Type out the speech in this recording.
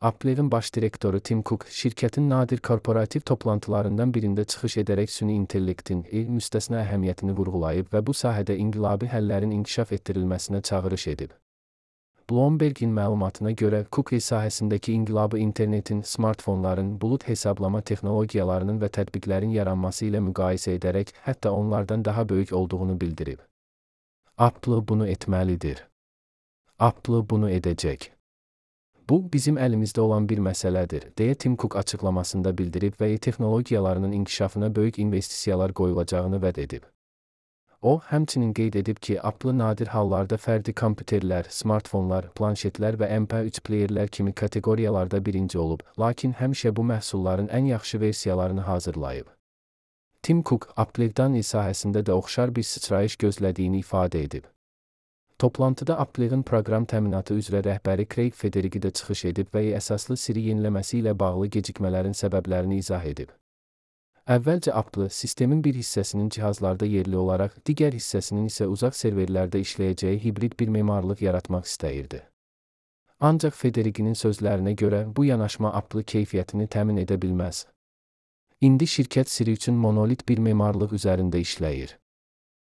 Apple'in baş direktoru Tim Cook, şirkətin nadir korporativ toplantılarından birində çıxış edərək süni intellektin müstəsna əhəmiyyətini vurğulayıb və bu sahədə inqilabi həllərin inkişaf etdirilməsinə çağırış edib. Bloomberg'in məlumatına görə, Cook sahəsindəki inqilabı internetin, smartfonların, bulud hesablama texnologiyalarının və tətbiqlərin yaranması ilə müqayisə edərək, hətta onlardan daha böyük olduğunu bildirib. Apple bunu etməlidir. Apple bunu edəcək. Bu, bizim əlimizdə olan bir məsələdir, deyə Tim Cook açıqlamasında bildirib və texnologiyalarının inkişafına böyük investisiyalar qoyulacağını vəd edib. O, həmçinin qeyd edib ki, Apple nadir hallarda fərdi kompüterlər, smartfonlar, planşetlər və MP3 playerlər kimi kateqoriyalarda birinci olub, lakin həmişə bu məhsulların ən yaxşı versiyalarını hazırlayıb. Tim Cook, Apple'dan sahəsində də oxşar bir sıçrayış gözlədiyini ifadə edib. Toplantıda Apple'in proqram təminatı üzrə rəhbəri Craig Federighi də çıxış edib və əsaslı Siri yeniləməsi ilə bağlı gecikmələrin səbəblərini izah edib. Əvvəlcə Apple, sistemin bir hissəsinin cihazlarda yerli olaraq, digər hissəsinin isə uzaq serverlərdə işləyəcəyi hibrid bir memarlıq yaratmaq istəyirdi. Ancaq Federighinin sözlərinə görə, bu yanaşma Apple keyfiyyətini təmin edə bilməz. İndi şirkət Siri üçün monolit bir memarlıq üzərində işləyir.